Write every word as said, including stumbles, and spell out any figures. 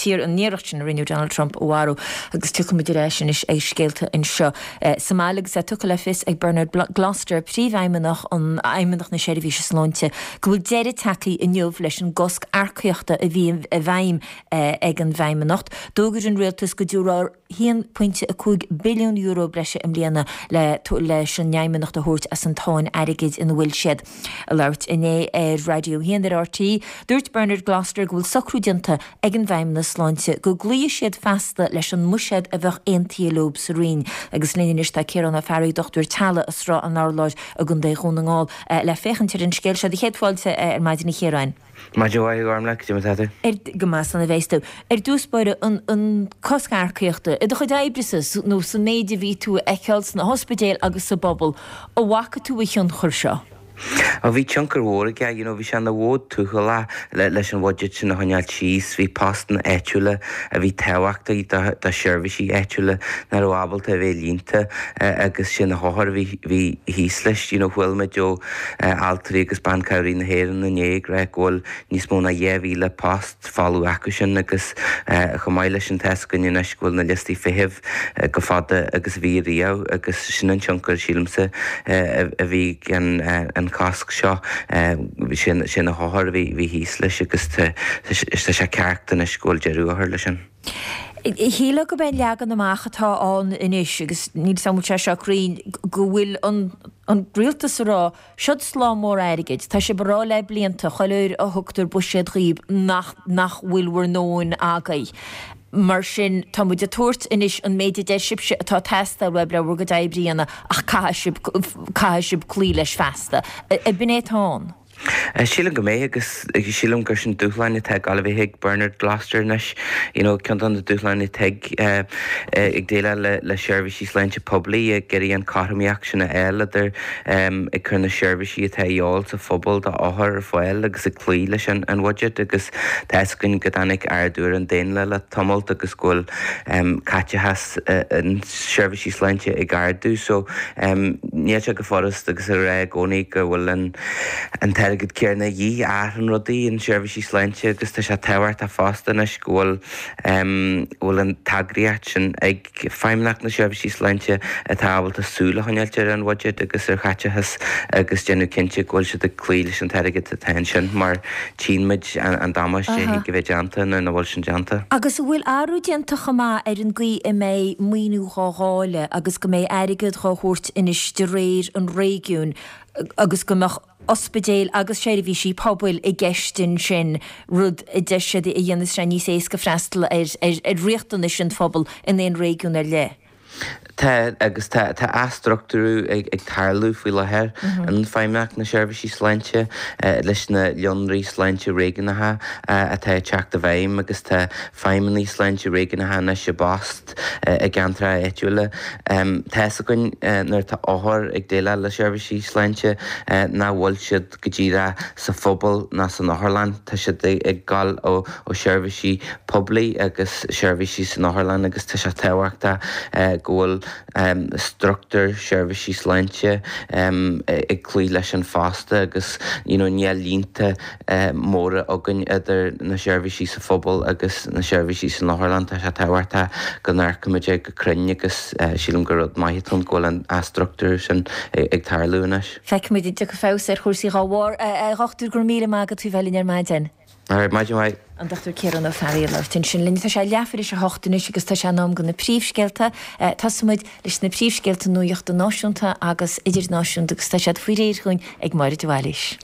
an iarracht sin a rinneadh Donald Trump a mharú agus tiocfaimid ar ais anois ag scéalta anseo sa mbaile agus é tugtha le fios ag Bernard Gloster, príomhfheidhmeannach an Fheidhmeannacht na Seirbhíse Sláinte, go bhfuil deireadh tagtha inniu leis an gcosc earcaíochta a bhí i bhfeidhm ag an bhFeidhmeannacht. D'fhógair an rialtas go dtabharfar haon pointe a cúig billiún euro breise i mbliana le leis an bhFeidhmeannacht a thabhairt as an tsáinn airgid ina bhfuil siad. Ag labhairt inné ar Raidió a haon ar RTÉ, dúirt Bernard Gloster go bhfuil socrú déanta ag an bhFeidhmeannas Sláinte go gcloífidh siad feasta leis an mbuiséad a bheadh aontaithe leo sa Roinn. Agus linn anois tá Ciarán Ó Fearraigh, dochtúir teaghlaigh i Srath an Urláir i gContae Dhún na nGall le féachaint ar an scéal seo. Do chéad fáilte ar maidin a Chiaráin. Maidin mhaith, a Ghormlaith, cad é mar atá tú? Ar, go maith san a bheas tú. Ar dtús báire, an, an cosc earcaíochta, i do chuid oibre-sa nó sa méid a bhí tú a fheiceáil sna hospidéil agus sa bpobal, an bhfaca tú a thionchar seo? Ó bhí tionchar mhór aige, you know, bhí sé ina mhodh tuathalach le, leis an bhuiséad sin a choinneáil síos, bhí postanna áitiúla a bhí tábhachtach do, do sheirbhísí áitiúla nach raibh ábalta a bheith líonta agus sin na hothair a bhí, bhí thíos leis, you know, chuala muid ó Altraí agus Ban Cabhraí na hÉireann inné ag rá go bhfuil níos mó ná dhá mhíle post folamh acu sin agus chomh maith leis sin tá fhios againn anois go bhfuil na liostaí feithimh chomh fada agus a bhí riamh agus sin an tionchar sílimse a bhí ag an cosc seo sin sin na hothair a bhí bhí thíos leis agus tá sé ceart anois go bhfuil deireadh á chur leis sin. Shílfeá gurb é an leagan amach atá ann anois agus níl 's agam an bhfuil sé seo cruinn go bhfuil an an rialtas ag rá seod slám mór airgid, tá sibh ag rá le blianta chuile uair a thugtar buiséad dhaoib nach nach bhfuil bhur ndóthain agaibh. Mar sin tá muid ag tabhairt anois an méid a deir sibhse atá ag teastáil uaibh le bhur gcuid oibre a dhéanamh ach caithfidh sibh caithfidh sibh cloí leis feasta. Ab in é atá ann? Sílim go mbeidh agus sílim gur sin dúshláin atá ag gabháil a bheith ag Bernard Gloster anois. You know, ceann de na dúshláin atá ag ag déileáil le le seirbhísí sláinte poiblí ag iarraidh an chothromaíocht sin a fháil idir ag cur na seirbhísí atá a dhíobháil sa phobal do othair ar fáil agus ag cloí leis an an bhuiséad agus tá fhios againn go dtáinig ardú ar an daonra le tamalt agus go bhfuil caiteachas an seirbhísí sláinte ag ardú so níl sé go furast agus a rá i gcónaí go bhfuil an an t-airgead céanna a dhíth ar rudaí in seirbhísí sláinte agus tá sé tábhachtach fosta anois go bhfuil bhfuil an t-eagraíocht sin ag Feidhmeannacht na Seirbhísí Sláinte atá ábalta súil a choinneáil ar an bhuiséad agus ar chaiteachas agus déanamh cinnte go bhfuil siad ag cloí leis an t-airgead atá ansin mar tchíonn muid an damáiste a bheith déanta nó nach bhfuil sin déanta. Agus an bhfuil athrú déanta chomh maith ar an gcaoi a mbeidh maoiniú dhá dháileadh agus go mbeidh airgead dhá thabhairt anois de réir an réigiúin agus go mbeadh ospidéil agus seirbhísí pobail i gceist ansin, rud a deir siad a dhéanfas sé níos éasca freastal ar ar riachtanais an phobail in aon réigiún ar leith. Tá agus tá tá athstruchtúrú ag ag tarlú faoi láthair in Feidhmeannacht na Seirbhísí Sláinte leis na líonraí sláinte réigiúnacha atá ag teacht i bhfeidhm agus tá feidhmeannaigh sláinte réigiúnacha anois i bpost i gceantracha áitiúla. Tá fhios againn nuair atá othair ag déileáil le seirbhísí sláinte nach bhfuil siad go díreach sa phobal ná san otharlann, tá siad ag gabháil ó ó seirbhísí poiblí agus seirbhísí san otharlann agus tá sé tábhachtach go bhfuil struchtúr seirbhísí sláinte ag cloí leis an fosta agus you know níl línte móra againn idir na seirbhísí sa phobal agus na seirbhísí san otharlann tá sé tábhachtach go n-amharcaimid go cruinn agus sílim gur rud maith atá ann go bhfuil an athstruchtúrú sin ag tarlú anois. Feicfimid an dtiocfaidh feabhas ar chúrsaí dá bharr. A dhochtúir, go raibh míle maith agat faoi bheith linn ar maidin. Alright, maidin mhaith. An Dochtúir Ciarán Ó Fearraigh ag labhairt ansin linn. Tá sé leathuair tar éis a hocht anois agus tá sé in am do na príomhscéalta. Tosóimid leis na príomhscéalta nuachta náisiúnta agus idirnáisiúnta agus tá siad faoi réir chugainn ag Máire de Bhailís.